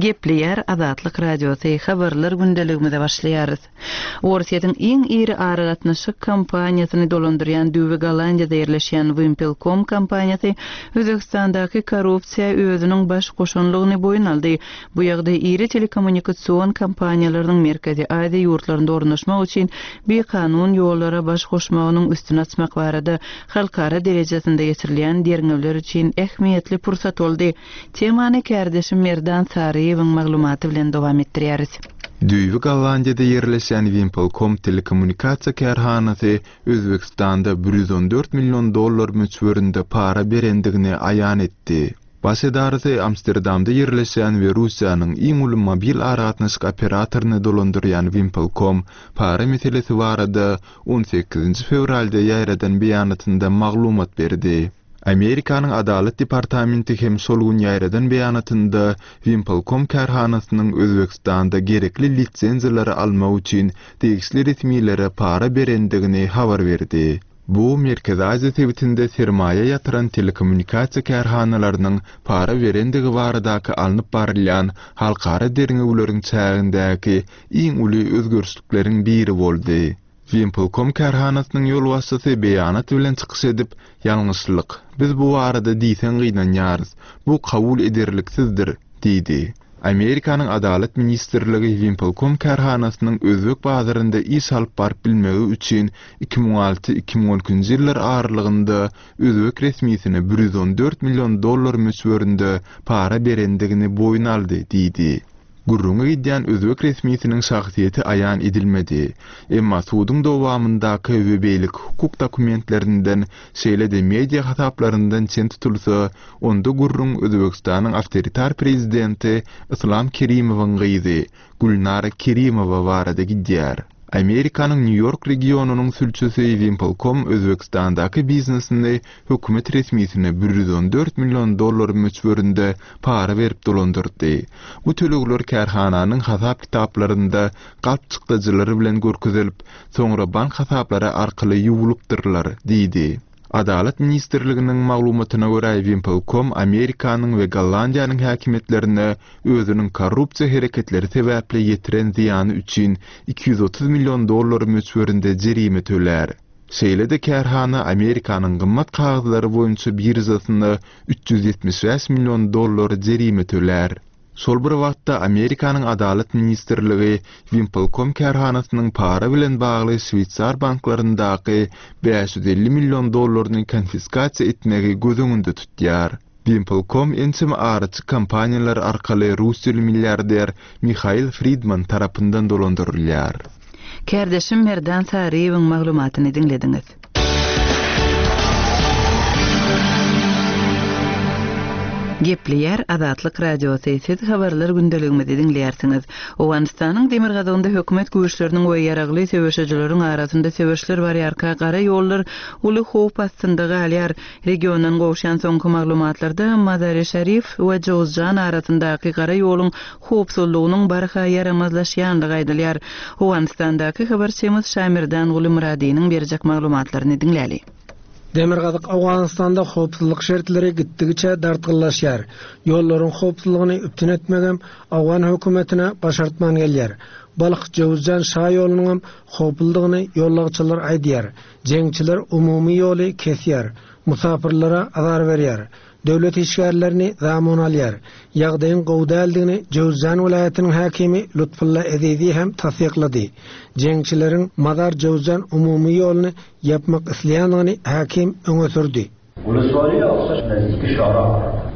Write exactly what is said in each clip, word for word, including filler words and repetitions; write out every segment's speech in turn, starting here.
Gepleýär Azatlyk Radiosy, Habarlar gündeligimize başlaýarys. Orsýetiň iň iri aragatnaşyk kompaniýasyny dolandyrýan düýbi Gollandiýada ýerleşýän Wimpelcom kompaniýasy Özbegistandaky korrupsiýa özüniň baş goşanlygyny boýun aldy. Bu ýagdaý iri telekommunikasion kompaniýalarynyň Merkezi Aziýa ýurtlarynda ornaşmak üçin bikanun ýollara baş goşmagynyň üstüni açmak barada halkara derejesinde geçirilýän derňewler üçin ähmiýetli pursat boldy. Temany kärdeşim Merdan Saryýewiň maglumaty bilen dowam etdirýäris. Düýbi Gollandiýada ýerleşýän Wimpelcom telekommunikasiýa kärhanasy Özbegistanda bir ýüz on dört million dollar möçberinde para berendigini aýan etdi. Baş edarasy Amsterdamda ýerleşýän we Russiýanyň iň uly mobil aragatnaşyk operatoryny dolandyrýan Wimpelcom para meselesi barada on sekizinji fewralda ýaýradan beýanatynda maglumat berdi. Amerikanyň Adalat departamenti hem şol gün ýaýradan beýanatynda Wimpelcom kärhanasynyň Özbegistanda gerekli lisenziýalary almak üçin degişli resmilere para berendigini habar berdi. Bu Merkezi Aziýa sebitinde sermaýa ýatyran telekommunikasiýa kärhanalarynyň para berendigi baradaky alnyp barylýan halkara derňewleriň çägindäki iň uly özgerişlikleriň biri boldy. Wimpelcom kärhanasynyň ýolbaşçysy beýanat bilen çykyş edip, ýalňyşlyk, biz bu barada diýseň gynanýarys, bu kabul ederliksizdir, diýdi. Amerikanyň Adalat ministrligi Wimpelcom kärhanasynyň özbek bazarynda iş alyp baryp bilmegi üçin iki müň alty iki müň on ikinji ýyllar aralygynda özbek resmisine bir ýüz on dört million dollar möçberinde para berendigini boýun aldy, diýdi. Gürrüňe gidýän özbek resmisiniň şahsyýeti aýan edilmedi. Emma suduň dowamyndaky we beýleki hukuk dokumentlerinden, şeýle-de media hasaplaryndan çen tutulsa, onda gürrüň Özbegistanyň awtoritar prezidenti Islam Kerimowyň gyzy Gülnara Kerimowa barada gidýär. Amerikanyň Nýu-Ýork regionynyň sülçüsi Wimpelcom Özbegistandaky biznesini hökümet resmisine bir ýüz on dört million dollar möçberinde para berip dolandyrdy. Bu tölegler kärhananyň hasap kitaplarynda galp çykdajylary bilen görkezelip, soňra bank hasaplary arkaly ýuwulypdyrlar, diýdi. Adalat ministrliginiň maglumatyna görä Wimpelcom Amerikanyň we Gollandiýanyň häkimiýetlerine özüniň korrupsiýa hereketleri sebäpli ýetiren zyýany üçin iki ýüz otuz million dollar möçberinde jerime tölär. Şeýle-de kärhana Amerikanyň gymmat kagyzlary boýunça biržasynda üç ýüz ýetmiş bäş million dollar jerime tölär. Şol bir wagtda Amerikanyň Adalat ministrligi Wimpelcom kärhanasynyň para bilen bagly Şweýsar banklaryndaky bäş ýüz elli million dollaryny konfiskasiýa etmegi göz öňünde tutýar. Wimpelcom ençeme araçy kompaniýalar arkaly russiýaly milliarder Mihail Fridman tarapyndan dolandyrylýar. Kärdeşim Merdan Saryýewiň maglumatyny diňlediňiz. Gepleýär Azatlyk Radiosy, siz habarlar gündeligimizi diňleýärsiňiz. Owganystanyň demirgazygynda hökümet güýçleriniň we ýaragly söweşijileriň arasynda söweşler barýarka gara ýollar uly howp astynda galýar. Regiondan gowşan soňky maglumatlarda Mazar-i Şarif we Jowzjan arasyndaky gara ýoluň howpsuzlygynyň barha ýaramazlaşýanlygy aýdylýar. Owganystandaky habarçymyz Şamirdan Guli Muradiniň berjek maglumatlaryny diňläli. Demirgazyk Owganystanda howpsuzlyk şertleri gitdigiçe dartgynlaşýar. Ýollaryň howpsuzlygyny üpjün etmegem Owgan hökümetine başartman gelýär. Balh Jowzjan şa ýolunyň howpludygyny ýollagçylar aýdýar. Jeňçiler umumy ýoly kesýär. Musafirlere azar berýär. Döwlet işgärlerini zamun alýar. Ýagdaýyň gowy däldigini Jowzjan welaýatynyň häkimi Lutfulla Ezizi hem tassyklady. Jeňçileriň Mazar Jowzjan umumy ýoluny ýapmak isleýändigini häkim öňe sürdi. Uluslararası aksaç nazdiki şara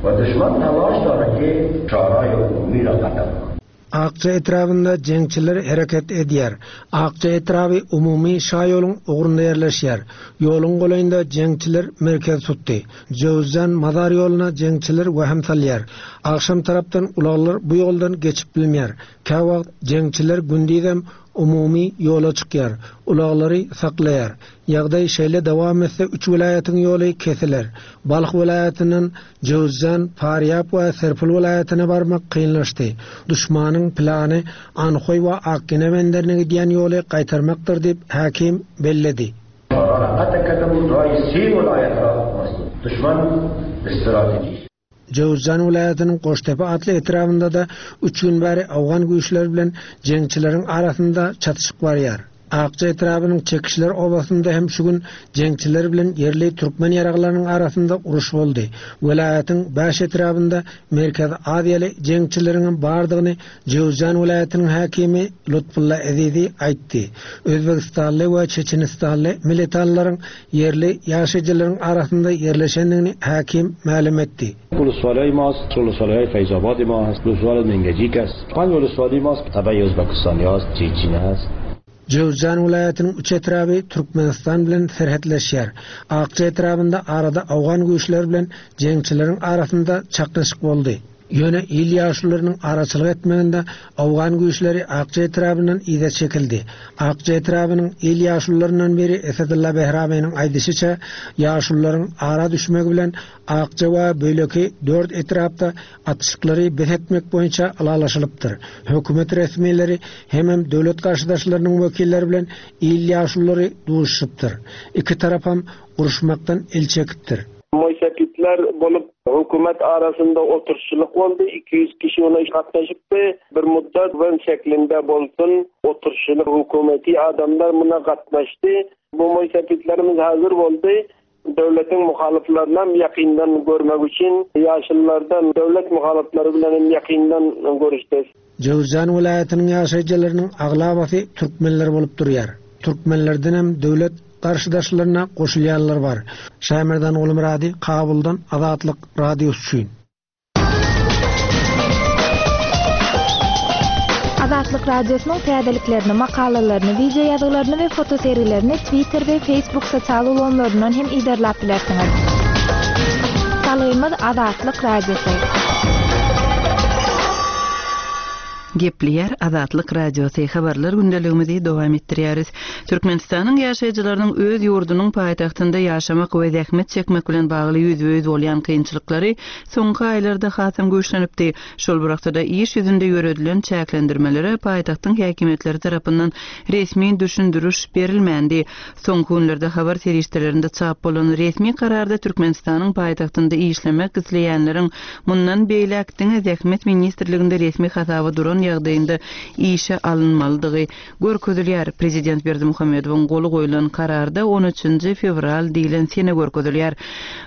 we düşman talaş daraki şara umumy raqata. Akça etrabynda jeňçiler hereket edýär. Akça etraby umumy şa ýoluň ugrunda ýerleşýär. Ýoluň golaýynda jeňçiler merkez tutdy. Jowzjan Mazar ýoluna jeňçiler waham salýar. Agşam tarapdan ulaglar bu ýoldan geçip bilmeýär. Käwagt jeňçiler gündizem umumy ýola çykýar. Ulaglary saklaýar. Ýagdaý şeýle dowam etse üç welaýatyň ýoly kesiler. Balh welaýatyndan Jowzjan, Farýab we Serpil welaýatyna barmak kynlaşdy. Düşmanyň plany Anhoý we Akgene benderine gidýän ýoly gaýtarmakdyr diýip häkim belledi. Düşman strateji. Jöwüzjan welaýatynyň Goştepe atly etrabynda-da üç gün bäri owgan güýçleri bilen jeňçileriň arasynda çatyşyk barýar. Akja etrabynyň Çekişler obasynda hem şu gün jeňçiler bilen ýerli türkmen ýaraglarynyň arasynda uruş boldy. Welaýatyň bäş etrabynda Merkezi Aziýaly jeňçileriň bardygyny Jöwüzjan welaýatynyň häkimi Lutfulla Ezizi aýtdy. Özbegistanly we Çeçenistanly militanlaryň ýerli ýaşaýjylaryň arasynda ýerleşendigini häkim mälim etdi. ولسوالای ماست ولسوالای فیض آباد ما هست ولسوال منگجیک است پنج ولسوالی ماست تبع ازبکستانی هست چیچین هست Jöwüzjan welaýatynyň üç etraby Türkmenistan bilen serhetleşýär. Akja etrabynda arada owgan güýçleri bilen jeňçileriň arasynda çaknyşyk boldy. Ýöne il ýaşlylarynyň araçylyk etmeginde owgan güýçleri Akja etrabyndan yza çekildi. Akja etrabynyň il ýaşlylaryndan biri Esedulla Behraminiň aýdyşyça ýaşlylaryň ara düşmegi bilen Akja we beýleki dört etrapda atyşyklary bes etmek boýunça ylalaşylypdyr. Hökümet resmileri hemem döwlet garşydaşlarynyň wekilleri bilen il ýaşlylary duşupdyr. Iki tarapam uruşmakdan el çekipdir. Moysapitler bolup hökümet arasynda oturşçylyk boldy. iki ýüz kişi ona gatnaşypdy. Bir muddat wen şeklinde bolsun oturşçylyk hökümeti adamlar muna gatnaşdy. Bu moysapitlerimiz hazır boldy. Döwletiň muhalyflaryny ýakyndan görmek üçin ýaşlylardan döwlet muhalyflary bilen hem ýakyndan görüşdi. Jöwüzjan welaýatynyň ýaşaýjylarynyň aglabasy türkmenler bolup durýar. Türkmenlerden hem döwlet garşydaşlaryna goşulýanlar bar. Şaýmerdan Gulmyrady, Kabuldan Azatlyk Radiosy üçin. Azatlyk Radiosynyň täzeliklerini, makalalaryny, wideo ýazgylaryny we fotosergilerini Twitter we Facebook sosial ulgamlaryndan hem iderläp bilersiňiz. Salgymyz Azatlyk Radiosy. Gepleýär Azatlyk Radiosy habarlar gündeligimizi dowam etdirýäris. Türkmenistanyň ýaşaýjylarynyň öz ýurdunyň paýtagtynda ýaşamak we zähmet çekmek bilen bagly ýüzbe-ýüz bolýan kynçylyklary soňky aýlarda hasam güýçlenipdi. Şol bir wagtda iş ýüzünde ýöredilen çäklendirmelere paýtagtyň häkimiýetleri tarapyndan resmi düşündiriş berilmändi. Soňky günlerde habar serişdelerinde çap bolan resmi kararda Türkmenistanyň paýtagtynda işlemek isleýänleriň mundan beýläk diňe Zähmet ministrliginde resmi hasaba duran ýagdaýynda işe alynmalydygy görkezilýär. Prezident Berdimuhamedowyň goly goýlan kararda on üçünji fewral diýlen sene görkezilýär.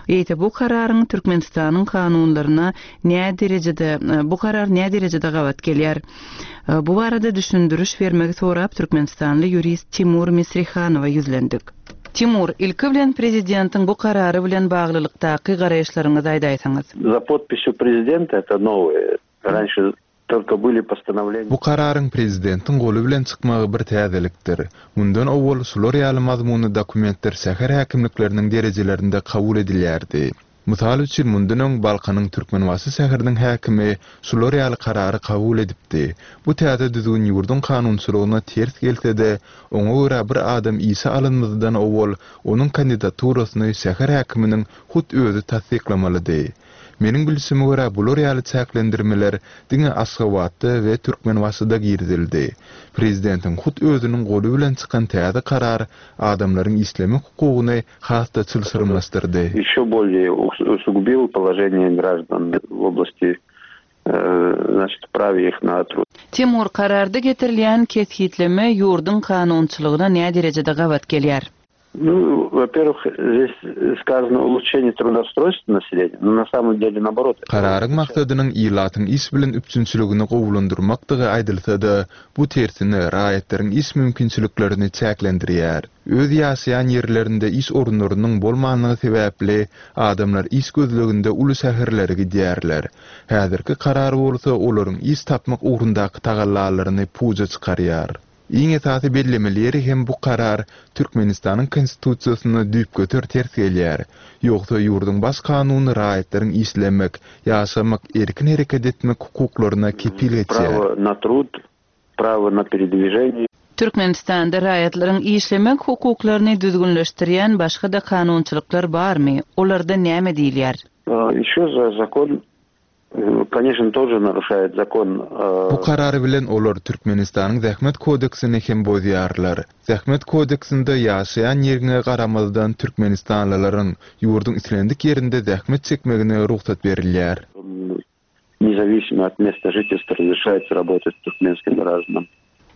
Eýse bu kararyň Türkmenistanyň kanunlaryna nä derejede, bu karar nä derejede gabat gelýär? Bu barada düşündiriş bermegi sorap Türkmenistanly ýurist Timur Misrihanowa ýüzlendik. Timur, ilki bilen prezidentiň bu karary bilen baglylykdaky garaýyşlaryňyzy aýdaýsaňyz. За подписью президента это новое. Раньше только были постановления. Bu kararyň prezidentiň goly bilen çykmagy bir täzelikdir. Mundan owal şular ýaly mazmunly dokumentler şäher häkimlikleriniň derejelerinde kabul edilýärdi. Mysal üçin mundan öň Balkanyň Türkmenbaşy şäheriniň häkimi şular ýaly karary kabul edipdi. Bu täze düzgün ýurduň kanunçylygyna ters gelse-de, oňa görä bir adam işe alynmazdan owal onuň kandidaturasyny şäher häkiminiň hut özi tassyklamalydy. Meniň bilişime görä bular ýaly çäklendirmeler diňe Aşgabatda we Türkmenbaşyda girizildi. Prezidentiň hut özüniň goly bilen çykan täze karar adamlaryň işlemek hukugyny has-da çylşyrymlaşdyrdy. Еще более усугубил положение граждан в области, э, значит, праве их на труд. Timur, kararda getirilýän kesgitleme ýurduň kanunçylygyna näme derejede gabat gelýär? Ну, во-первых, здесь сказано улучшение трудоустройства населения, но на самом деле наоборот. Kararyň maksadynyň ilatyň iş bilen üpjünçiligini gowulandyrmakdygy aýdylsa-da, bu tersine raýatlaryň iş mümkinçiliklerini çäklendirýär. Öz ýaşaýan ýerlerinde iş orunlarynyň bolmanlygy sebäpli adamlar iş gözleginde uly şäherlere gidýärler. Häzirki karar bolsa olaryň iş tapmak ugrundaky tagallalaryny puja çykarýar. Iň esasy bellemeli ýeri hem bu karar Türkmenistanyň konstitusiýasyna düýpgöter ters gelýär. Ýogsa ýurduň baş kanuny raýatlaryň işlemek, ýaşamak, erkin hereket etmek hukuklaryna kepil geçýär. Право на труд, право на передвижение. Türkmenistanda raýatlaryň işlemek hukuklaryny düzgünleşdirýän başga da kanunçylyklar barmy? Olarda näme diýilýär? Еще за закон, конечно, тоже нарушает закон. Bu karary bilen olar Türkmenistanyň Zähmet kodeksini hem bozýarlar. Zähmet kodeksinde ýaşaýan ýerine garamazdan Türkmenistanlylaryň ýurduň islendik ýerinde zähmet çekmegine rugsat berilýär. Независимо от места жительства разрешается работать туркменским гражданам.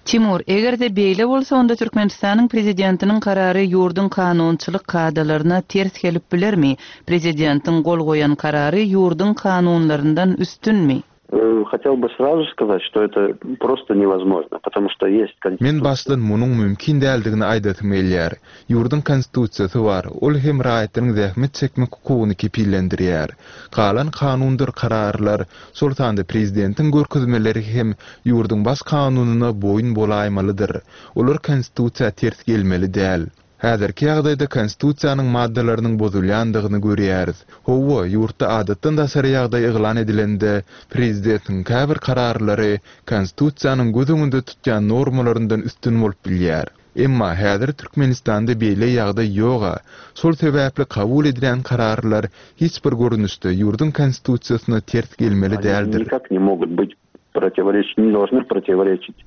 Timur, eger-de beýle bolsa, onda Türkmenistanyň prezidentiniň karary ýurduň kanunçylyk kadalaryna ters gelip bilermi? Prezidentiň gol goýan karary ýurduň kanunlaryndan üstünmi? Э, хотел бы сразу сказать, что это просто невозможно, потому что есть Men başdan munuň mümkin däldigini aýdasym gelýär. Ýurduň konstitusiýasy bar, ol hem raýatlaryň zähmet çekmek hukugyny kepillendirýär. Galan kanundyr kararlar, şol sanda prezidentiň görkezmeleri hem ýurduň baş kanunyna boýun bolaýmalydyr. Olar konstitusiýa ters gelmeli däl. Häzirki ýagdaýda konstitusiýanyň maddalarynyň bozulýandygyny görýäris. Hawa, ýurtda adatdan daşary ýagdaý yglan edilende prezidentiň käbir kararlary konstitusiýanyň göz öňünde tutýan normalaryndan üstün bolup bilýär. Emma häzir Türkmenistanda beýle ýagdaý ýoga. Şol sebäpli kabul edilen kararlar hiç bir görnüşde ýurduň konstitusiýasyna ters gelmeli däldir. Никак не могут быть противоречить, не должны противоречить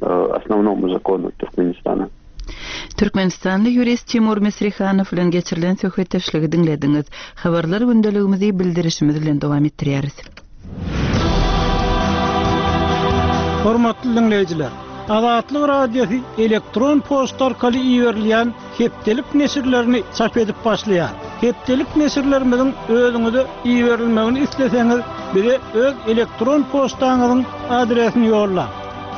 э, основному закону Туркменистана. Türkmenistanly ýurist Timur Misrihanow bilen geçirilen söhbetdeşligi diňlediňiz. Habarlar gündeligimizi bildirişimiz bilen dowam etdirýäris. Hormatly dinleýjiler, Azatlyk Radiosy elektron poçta arkaly iberilýän hepdelik neşirlerini çap edip başlaýar. Hepdelik neşirlerimiziň özüňize iberilmegini isleseňiz, bize öz elektron poçtaňyzyň adresini ýollaň.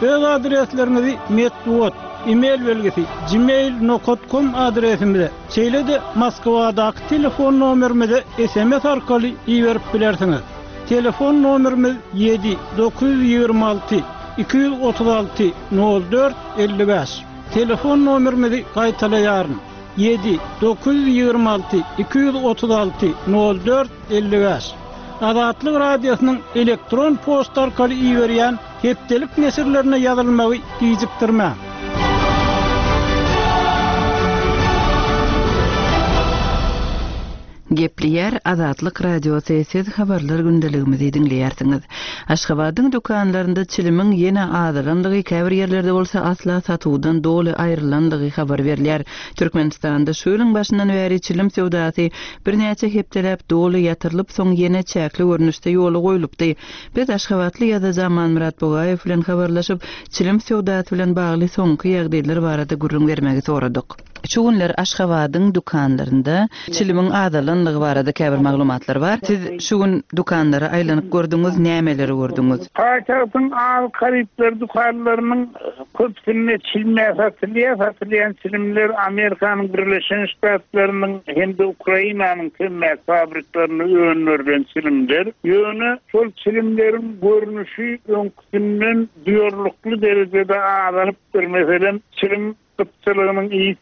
Öz adresleriňizi metbugat, e-mail belgisi gmail nokta com adresimize, şeýle-de Moskwadaky telefon nomerimize S M S arkaly iberip bilersiňiz. Telefon nomerimiz ýedi dokuz ýüz ýigrimi alty iki ýüz otuz alty nol dört elli bäş. Telefon nomerimizi gaýtalaýaryn. Ýedi dokuz ýüz ýigrimi alty iki ýüz otuz alty nol dört elli bäş. Azatlyk Radiosynyň elektron poçta arkaly iberýän hepdelik neşirlerine ýazylmagy gijikdirmäň. Gepleýär Azatlyk Radiosy, siz habarlar gündeligimizi diňleýärsiňiz. Aşgabadyň dükanlarynda çilimiň ýene azalandygy, käbir ýerlerde bolsa asla satuwdan doly aýrylandygy habar berilýär. Türkmenistanda şu ýylyň başyndan bäri çilim söwdasy birnäçe hepdeläp doly ýatyrylyp, soň ýene çäkli görnüşde ýola goýlupdy. Biz Aşgabatly ýazyjy Amanmyrat Bugaýew bilen habarlaşyp, çilim söwdasy bilen bagly soňky ýagdaýlar barada gürrüň bermegi soradyk. Şu günler Aşgabadyň dükanlarynda çilimiň azalandygy barada käbir maglumatlar bar. Siz şu gün dükanlara aýlanyp gördüňiz, nämeleri gördüňiz? Paýtagtyň azyk harytlar dükanlarynyň köpüsinde çilimler satylýar, satylýan çilimler Amerikanyň Birleşen Ştatlarynyň hem-de Ukrainanyň temmäki fabriklerinde öndürilen çilimler. Ýöne şol çilimleriň görnüşi öňküsinden duýarlykly derejede azalypdyr. Meselem, çilim gytçylygynyň iýip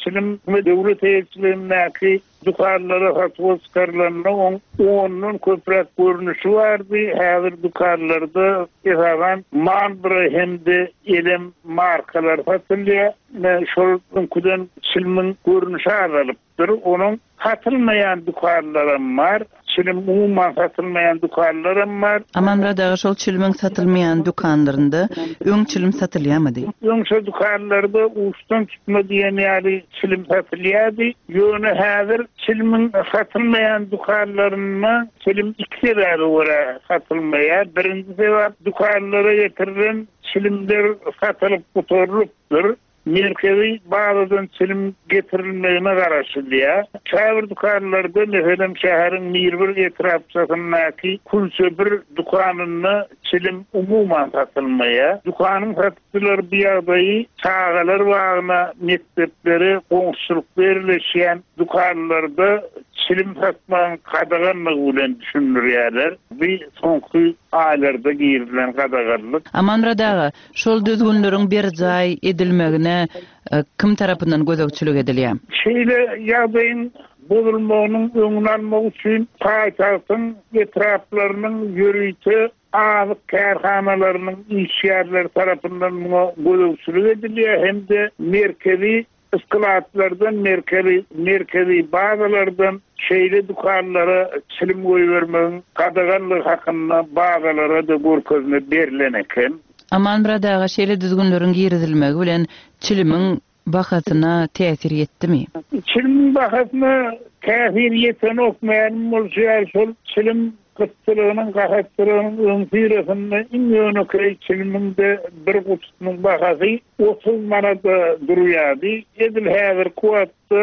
çilim we döwlet eýeçiligindäki dükanlara satuwa çykarylanda oň ondan köpräk görnüşi bardy. Häzir dükanlarda esasan Marlboro hem-de Elem markalar satylýar. Ine, şol öňküden çilimiň görnüşi azalypdyr. Onuň satylmaýan dükanlaram bar. Çilim umuman satylmaýan dükanlaram bar. Amanmyrat aga, şol çilimiň satylmaýan dükanlarynda öň çilim satylýarmydy? Öň şol dükanlarda uçdan tutma diýen ýaly çilim satylýardy. Ýöne häzir çilimiň satylmaýan dükanlarynda çilim iki sebäbe görä satylmaýar. Birinji sebäp dükanlara getirilen çilimler satylyp gutarylypdyr. Merkezi bazadan çilim getirilmegine garaşylýar. Käbir dükanlarda, meselem, şäheriň Mirbir etrapçasyndaky Kulça bir dükanynda çilim umuman satylmaýar. Dükanyň satyjylary bu ýagdaýy çagalar bagyna, mekdeplere, goňşulykda ýerleşýän dükanlarda çilim satmagyň gadaganlygy bilen düşündirýärler. Bu soňky aýlarda girizilen gadaganlyk. Amanmyrat aga, şol düzgünleriň berjaý edilmegine, e, kim tarapyndan gözegçilik edilýär? Şeýle ýagdaýyň bozulmagynyň öňüni almak üçin paýtagtyň etraplarynyň ýörite azyk kärhanalarynyň işgärleri tarapyndan muňa gözegçilik edilýär hem-de merkezi isklatlardan, merkezi, merkezi bazalardan şeýle dükanlara çilim goýbermegiň gadaganlygy hakynda bazalara da görkezme berlen eken. Amanmyrat aga, şeýle düzgünleriň girizilmegi bilen çilimiň bahasyna täsir ýetdimi? Çilimiň bahasyna täsir ýetenok, mälim bolşy ýaly şol çilim Gytçylygynyň, gahatçylygynyň öňüsyrasynda iň ýönekeý çilimiň-de bir gutusynyň bahasy otuz manada durýardy. Edil häzirki wagtda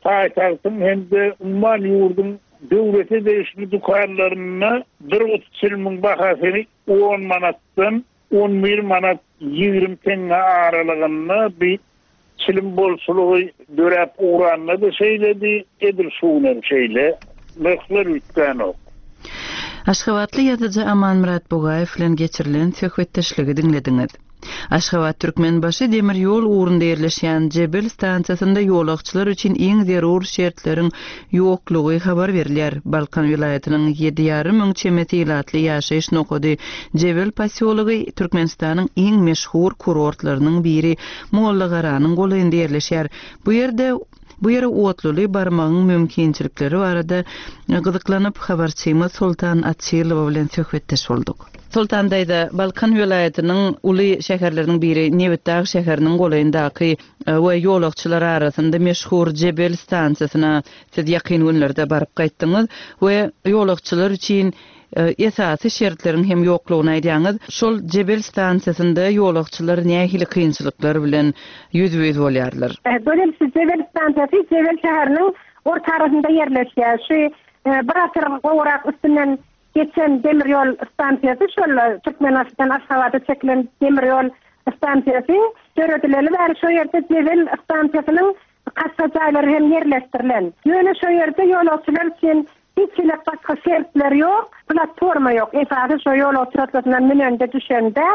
paýtagtyň hem-de umuman ýurduň döwlete degişli dükanlarynda bir guty çilimiň bahasy on manatdan on bir manat ýigrimi teňňe aralygynda bir çilim bolçulygy döräp ugranda-da şeýledi, edil şu gün hem şeýle, nyrhlar üýtgänok. Aşgabatly ýazyjy Amanmyrat Bugaýew bilen geçirilen söhbetdeşligi diňlediňiz. Aşgabat-Türkmenbaşy demir ýol ugrunda ýerleşýän Jebel stansiýasynda ýolagçylar üçin iň zerur şertleriň ýoklugy habar berilýär. Balkan welaýatynyň ýedi ýarym müň çemesi ilatly ýaşaýyş nokady Jebel posýology Türkmenistanyň iň meşhur kurortlarynyň biri Mollagaranyň golaýynda ýerleşýär. Bu ýerde bu ýere otluly barmagyň mümkinçilikleri barada gyzyklanyp habarçymyz Soltan Açylowa bilen söhbetdeş bolduk. Soltan daýza, Balkan welaýatynyň uly şäherleriniň biri Nebitdag şäheriniň golaýyndaky, e, we ýolagçylar arasynda meşhur Jebel stansiýasyna siz ýakyn günlerde baryp gaýtdyňyz we ýolagçylar üçin, e, esasy şertleriň hem ýoklugyny aýdýaňyz. Şol Jebel stansiýasynda ýolagçylar nähili kynçylyklar bilen ýüzbe-ýüz bolýarlar? E, Gözel, şu Jebel stansiýasy Jebel şäheriniň orta arasynda ýerleşýär. Şu, e, bir asyr gowrak üstünden geçen demir ýol stansiýasy, şol Türkmenistandan Aşgabada çekilen demir ýol stansiýasy döredileli bäri şu ýerde Jebel stansiýasynyň kassa jaýlary hem ýerleşdirilen. Ýöne şu ýerde ýolagçylar üçin hiç hili başga şertler ýok, platforma ýok. Esasy şu ýolagçy otlusyndan münende düşende,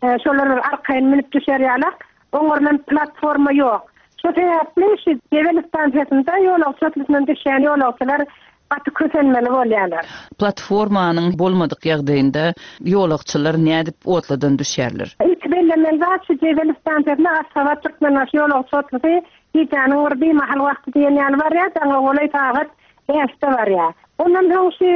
e, şolar bir arkaýyn münüp düşer ýalak, oňarlan platforma ýok. Şu sebäpli şu Jebel stansiýasynda ýolagçy otlusyndan düşýän ýolagçylar gaty kösenmeli bolýarlar. Platformanyň bolmadyk ýagdaýynda ýolagçylar nädip otludan düşýärler? Ilk bellemeli zat şu Jebel stansiýasynda Aşgabat Türkmenbaşy ýolagçy otlusy gijäniň bir bimahal wagty diýen ýaly barýar, daňa golaý sagat bäşde barýar. Ondan soň şu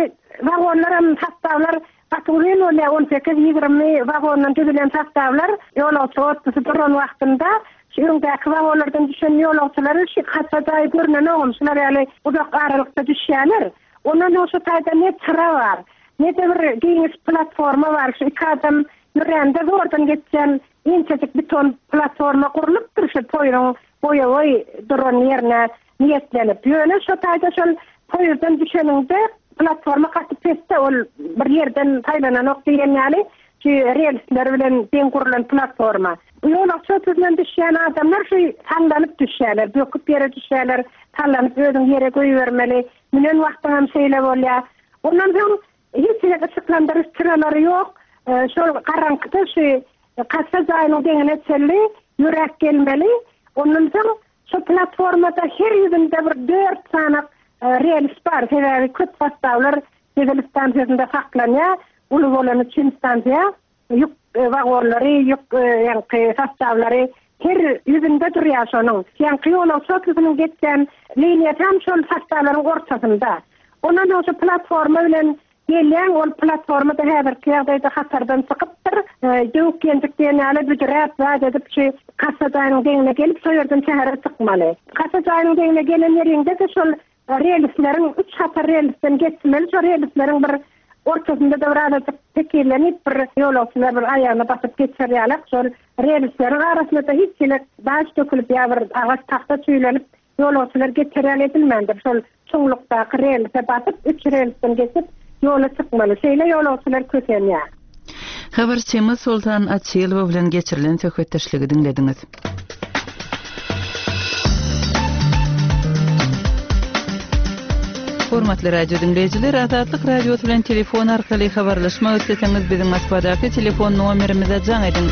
wagonlar hem sastawlar gaty uzyn bolýar, on sekiz ýigrimi wagondan düzülen sastawlar ýolagçy otlusy duran wagtynda şu öňdäki wagonlardan düşen ýolagçylary şu kassa jaýy görünen ogum, şular ýaly uzak aralykda düşýärler. Ondan soň şu taýda ne çyra bar, ne de bir giňiş platforma bar. Şu iki adam ýörände zordan geçýän inçejik beton platforma gurlupdyr şu poýuň boýaboý duran ýerine niýetlenip. Ýöne şu taýda şol poýuzdan düşeniňde platforma gaty pesde, ol bir ýerden saýlananok diýen ýaly şu relsler bilen deň gurlan platforma. Bu ýolagçy otlusyndan düşýän adamlar şu sallanyp düşýärler, böküp ýere düşýärler, sallanyp özüň ýere goýbermeli. Münen wagtyň hem şeýle bolýar. Ondan soň hiç hili yşyklandyryş çyralary ýok. E, şol garaňkyda şu kassa jaýynyň deňine çenli ýürek gelmeli. Ondan soň şu platformada her ýüzünde bir dört sany, e, rels bar. Sebäbi köp sastawlar Jebel stansiýasynda saklanýar. Uly bolan üçin stansiýa ýük, e, wagonlary, ýük, e, ýaňky sastawlary her ýüzünde durýar şonuň. Ýaňky ýolagçy otlusynyň geçýän liniýasy hem şol sastawlaryň ortasynda. Ondan soň şu platforma bilen gelýän, ol platformada häzirki ýagdaýda hatardan çykypdyr. E, döwük ýenjik diýen ýaly büdüräp, zat edip şu kassa jaýynyň deňine gelip, şo ýerden şähere çykmaly. Kassa jaýynyň deňine gelen ýerinde-de şol relsleriň üç hatar relsden geçmeli. Şol relsleriň bir ortasynda da bir azajyk tekirlenip bir ýolagçylar bir aýagyna basyp geçer ýalak. Şol relsleriň arasynda da hiç hili daş dökülip ýa bir agaç tahta çüýlenip ýolagçylar geçer ýaly edilmändir. Şol çuňlukdaky relse basyp üç relsden geçip ýola çykmaly. Şeýle ýolagçylar kösenýär. Habarçymyz Soltan Açylowa bilen geçirilen söhbetdeşligi diňlediňiz. Hormatly radio dinleýjiler, Azatlyk Radiosy bilen telefon arkaly habarlaşmak isleseňiz biziň Moskwadaky telefon nomerimize jaň ediň.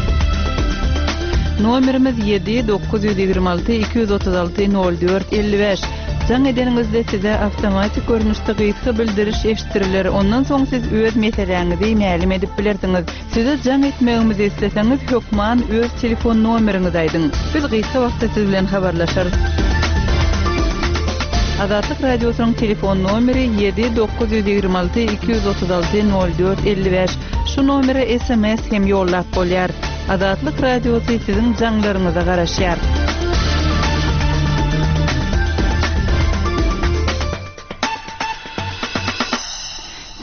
Nomerimiz ýedi dokuz ýüz ýigrimi alty iki ýüz otuz alty nol dört elli bäş. Jaň edeniňizde size awtomatik görnüşde gysga bildiriş eşitdiriler. Ondan soň siz öz meseläňizi mälim edip bilersiňiz. Size jaň etmegimizi isleseňiz hökman öz telefon nomeriňizi aýdyň. Biz gysga wagtda siz bilen habarlaşarys. Azatlyk Radiosynyň telefon nomeri ýedi dokuz ýüz ýigrimi alty iki ýüz otuz alty nol dört elli bäş. Şu nomere S M S hem ýollap bolýar. Azatlyk Radiosy siziň jaňlaryňyza garaşýar.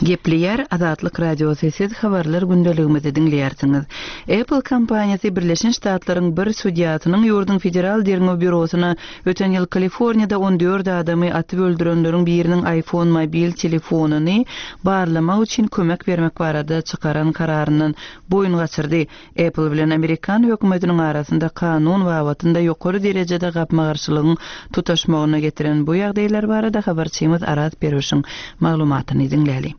Gepleýär Azatlyk Radiosy siz habarlar gündeligimizi diňleýärsiňiz. Apple kompaniýasy Birleşen Ştatlaryň bir sudýasynyň ýurduň Federal derňew býurosyna öten ýyl Kaliforniýada on dört adamy atyp öldürenleriň biriniň iPhone mobil telefonyny barlamak üçin kömek bermek barada çykaran kararyndan boýun gaçyrdy. Apple bilen amerikan hökümetiniň arasynda kanun babatynda ýokary derejede gapma-garşylygyň tutaşmagyna getiren bu ýagdaýlar barada habarçymyz Araz Perwişiň maglumatyny diňläli.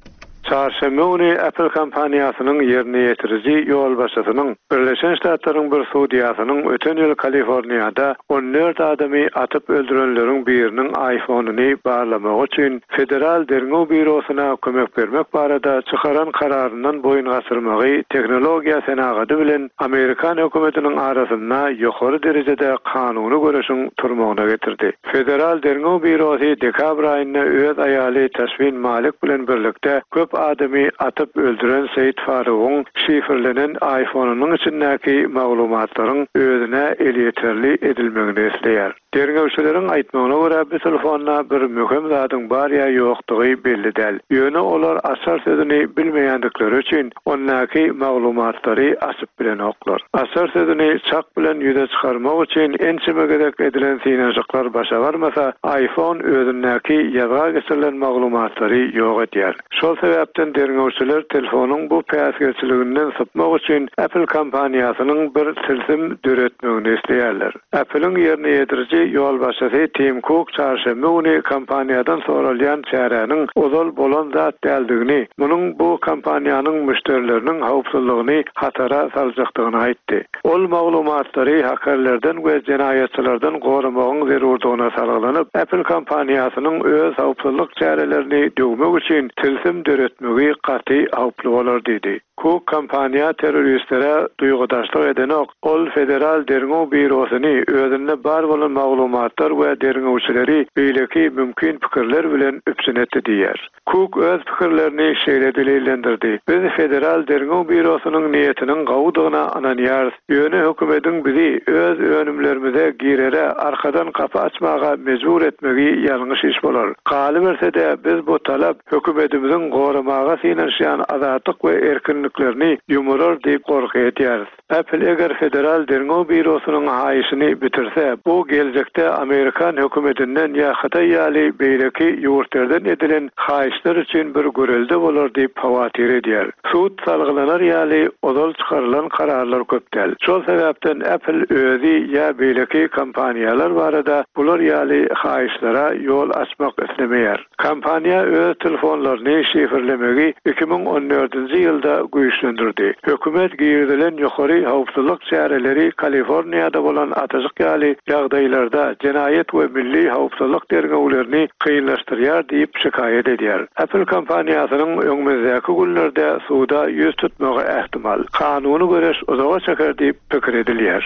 Çarşenbe güni Apple kompaniýasynyň ýerine ýetiriji ýolbaşçysynyň Birleşen Ştatlaryň bir sudýasynyň öten ýyl Kaliforniýada on dört adamy atyp öldürenleriň biriniň iPhone-uny barlamak üçin Federal derňew býurosyna kömek bermek barada çykaran kararyndan boýun gaçyrmagy tehnologiýa senagaty bilen Amerikan hökümetiniň arasynda ýokary derejede kanuny göreşiň turmagyna getirdi. Federal derňew býurosy dekabr aýynda öz aýaly Tashfin Malik bilen birlikde köp adamy atyp öldüren Seýit Farugyň şifrlenen iPhone-unyň içindäki maglumatlaryň özüne elýeterli edilmegini isleýär. Derňewçileriň aýtmagyna görä bu telefonda bir möhüm zadyň bar ýa ýokdugy belli däl. Ýöne olar açar sözüni bilmeýändikleri üçin ondaky maglumatlary açyp bilenoklar. Açar sözüni çak bilen ýüze çykarmak üçin ençeme gezek edilen synanyşyklar başa barmasa, iPhone özündäki ýazga geçirilen maglumatlary ýok edýär. Şol sebäpden derňewçiler telefonyň bu päsgelçiliginden sypmak üçin Apple kompaniýasynyň bir tilsim döretmegini isleýärler. Apple'ın ýerine ýetiriji ýolbaşçysy Tim Cook çarşenbe güni kompaniýadan soralýan çäräniň ozal bolan zat däldigini, munuň bu kompaniýanyň müşderileriniň howpsuzlygyny hatara saljakdygyny aýtdy. Ol maglumatlary hakerlerden we jenaýatçylardan goramagyň zerurdygyna salgylanyp, Apple kompaniýasynyň öz howpsuzlyk çärelerini döwmek üçin tilsim döretmegi gaty howply bolar diýdi. Cook kompaniýa terroristlere duýgudaşlyk edenok, ol Federal derňew býurosyny özünde bar bolan maglumatlar we derňewçileri beýleki mümkin pikirler bilen üpjün etdi diýär. Cook öz pikirlerini şeýle delillendirdi. Biz Federal derňew býurosynyň niýetiniň gowudygyna ynanýarys. Ýöne hökümetiň bizi öz önümlerimize girere arkadan kapy açmaga mejbur etmegi ýalňyş iş bolar. Galyberse-de biz bu talap hökümetimiziň goramaga synanyşýan azatlyk we erkinliklerini ýumurar diýip gorky edýäris. Apple eger Federal derňew býurosynyň haýyşyny bitirse, bu geljekde Amerikan hökümetinden ýa Hytaý ýaly beýleki ýurtlardan edilen haýyşlar üçin bir görelde bolar diýip hawatyr edýär. Sud salgylanar ýaly ozal çykarylan kararlar köp däl. Şol sebäpden Apple özi ýa beýleki kompaniýalar barada bular ýaly haýyşlara ýol açmak islemeýär. Kompaniýa öz telefonlaryny şifrlemegi iki müň on dördünji ýylda güýçlendirdi. Hökümet girizilen ýokary howpsuzlyk çäreleri Kaliforniýada bolan atyjyk ýaly ýagdaýlarda jenaýat we milli howpsuzlyk derňewlerini kynlaşdyrýar diýip şikaýat edýär. Apple kompaniýasynyň öňümizdäki günlerde suda ýüz tutmagy ähtimal. Kanuny göreş uzaga çeker diýip pikir edilýär.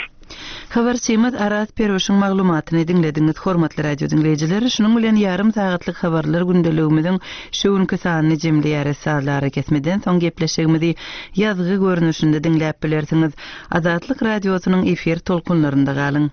Habarçymyz Araz Perwişiň maglumatyny diňlediňiz, hormatly radio diňleýjiler. Şunuň bilen ýarym sagatlyk habarlar gündeligimiziň şu günki sanyny jemleýäris. Sazlara kesmeden soň gepleşigimizi ýazgy görnüşinde diňläp bilersiňiz. Azatlyk radiosynyň efir tolkunlarynda galyň.